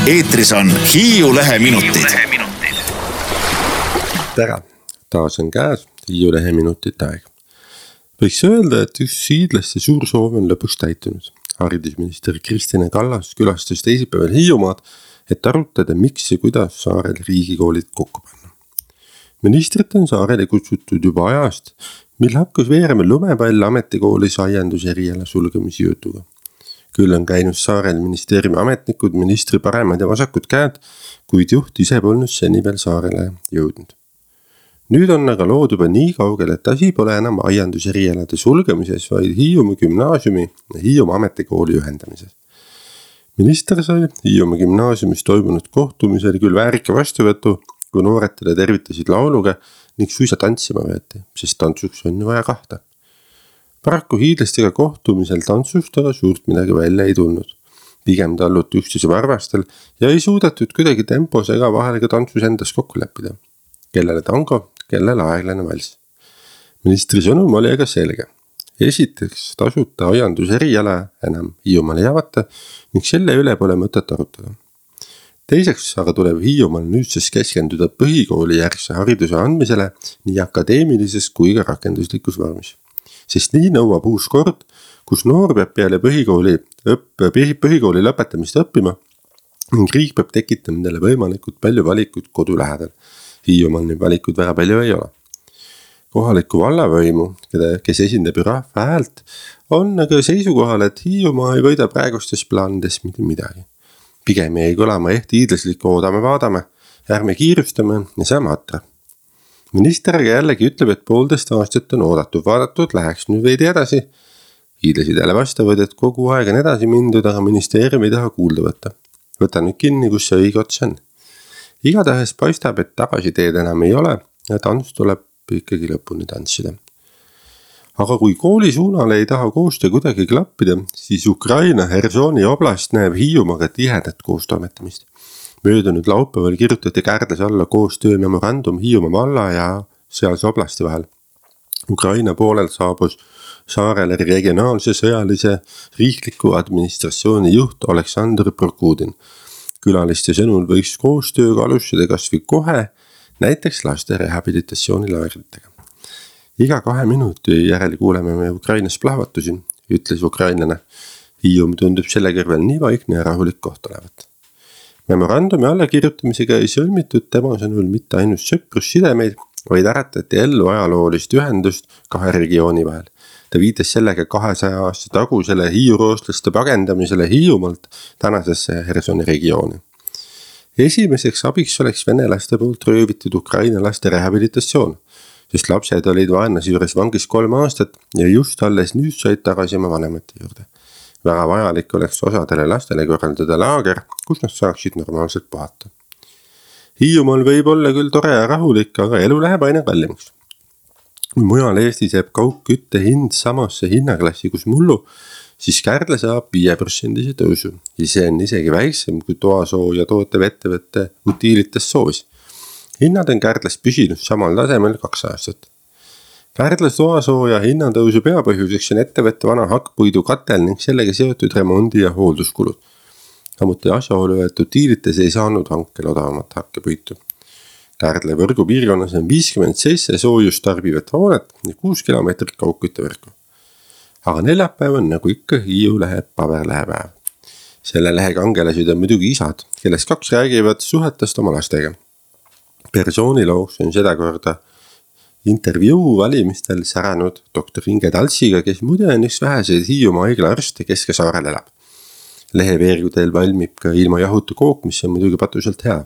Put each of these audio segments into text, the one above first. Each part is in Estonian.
Eetris on Hiiu Lehe minutid. Tere, taas on käes Hiiu Lehe minutite aeg. Võiks öelda, et üks hiidlaste suur soov on lõpuks täitunud. Haridusminister Kristina Kallas külastas teisipäeval Hiiumaad, et arutada, miks ja kuidas saarel riigikoolid kokku panna. Ministrit on saarele kutsutud juba ajast, mil hakkas veerema lumepall ametikoolis aiandus eriala sulgemise jutuga. Küll on käinud saarel ministeeriumi ametnikud, ministri paremad ja vasakud käed, kuid juht ise polnud seni veel saarele jõudnud. Nüüd on aga lood juba nii kaugel, et asi pole enam aiandus erialade sulgemises, vaid Hiiumaa gümnaasiumi ja Hiiumaa ametikooli ühendamises. Minister sai Hiiumaa gümnaasiumis toimunud kohtumisel küll väärika vastuvõtu, kui noored teda tervitasid lauluga ning suisa tantsima võeti, sest tantsuks on ju vaja kahta. Paraku hiidlastega kohtumisel tantsust aga suurt midagi välja ei tulnud. Pigem talluti üksteise varvastel ja ei suudetud kuidagi tempos ega vahel ka tantsus endas kokku leppida. Kellele tango, kellele aeglane vals. Ministri sõnum oli aga selge. Esiteks tasuta aiandus eriala enam Hiiumaal ei avata ning selle üle pole mõtet arutada. Teiseks aga tuleb Hiiumaal nüüdsest keskenduda põhikooli järgse hariduse andmisele nii akadeemilises kui ka rakenduslikus vormis. Sest nii nõuab uus kord, kus noor peab peale põhikooli lõpetamist õppima ning riik peab tekitama nendele võimalikult palju valikuid kodu lähedal. Hiiumaal neid valikuid väga palju ei ole. Kohaliku vallavõimu, kes esindab rahva häält, on aga seisukohal, et Hiiumaa ei võida praegustes plaanides mitte midagi. Pigem ei kõlama hiidlaslik oodame-vaadame, ärme kiirustame ja saame atra. Minister aga jällegi ütleb, et 1,5 aastat on vaadatud, läheks nüüd veidi edasi. Hiidlasid jälle vastavad, et kogu aeg on edasi mindud, aga ministeerium ei taha kuulda võtta. Võta nüüd kinni, kus see õige ots on. Igatahes paistab, et tagasiteed enam ei ole ja tants tuleb ikkagi lõpuni tantsida. Aga kui kooli suunal ei taha koostöö kuidagi klappida, siis Ukraina Hersoni oblast näeb Hiiumaaga tihedat koostoimetamist. Möödunud laupäeval kirjutati Kärdlas alla koostöömemorandum Hiiumaa valla ja sealse oblasti vahel. Ukraina poolel saabus saarele regionaalse sõjalise riikliku administratsiooni juht Oleksandr Prokudin. Külaliste sõnul võiks koostööga alustada kas või kohe, näiteks laste rehabilitatsioonilaagritega. Iga 2 minuti järel kuuleme me Ukrainas plahvatusi, ütles ukrainlane. Hiiumaa tundub selle kõrval nii vaikne ja rahulik koht olevat. Memorandumi allakirjutamisega ei sõlmitud tema sõnul mitte ainult sõprussidemeid, vaid äratati ellu ajaloolist ühendust 2 regiooni vahel. Ta viitas sellega 200 aasta tagusele hiiuroostlaste pagendamisele Hiiumaalt tänasesse Hersoni regiooni. Esimeseks abiks oleks venelaste poolt röövitud Ukraina laste rehabilitatsioon, sest lapsed olid vaenlase juures vangis 3 aastat ja just alles nüüd said tagasi oma vanemate juurde. Väga vajalik oleks osadele lastele korraldada laager, kus nad saaksid normaalselt puhata. Hiiumaal võib olla küll tore ja rahulik, aga elu läheb aina kallimaks. Kui mujal Eestis jääb kaugkütte hind samasse hinnaklassi kus mullu, siis Kärdla saab 5% tõusu ja see on isegi väiksem kui toasooja tootev ettevõtte Utilitas soovis. Hinnad on Kärdlas püsinud samal tasemel 2 aastat. Kärdlas toasooja hinnatõusu peapõhjuseks on ettevõtte vana hakkpuidu katel ning sellega seotud remondi- ja hoolduskulud. Samuti asjaolu, et Utilitas ei saanud hankel odavamat hakkepuitu. Kärdla võrgu piirkonnas on 57 soojust tarbivat hoonet ja 6 kilomeetrit kaugküttevõrku. Aga neljapäev on nagu ikka Hiiu Lehe paberlehepäev. Selle lehe kangelased on muidugi isad, kellest 2 räägivad suhetest oma lastega. Persoonilooks on seda korda intervjuu valimistel säranud doktor Inge Taltsiga, kes muide on üks väheseid Hiiumaa haigla arste Kesk-Saarel elab. Lehe veergudel valmib ka ilma jahutu kook, mis on muidugi patuselt hea.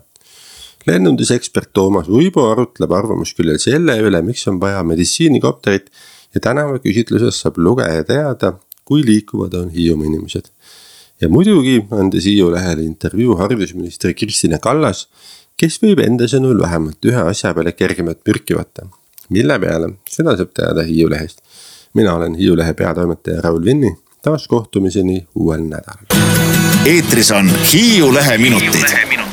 Lennundusekspert Toomas Uibo arutleb arvamusküljel selle üle, miks on vaja meditsiinikopterit ja tänava küsitluses saab lugeja teada, kui liikuvad on Hiiumaa inimesed. Ja muidugi andes Hiiu Lehele intervjuu haridusministri Kristina Kallas, kes võib enda sõnul vähemalt ühe asja peale kergemat mürki võtta. Mille peale, seda saab teada Hiiu Lehest. Mina olen Hiiu Lehe peatoimetaja Raul Vinni, taas kohtumiseni uuel nädalal. Eetris on Hiiu Lehe minutid.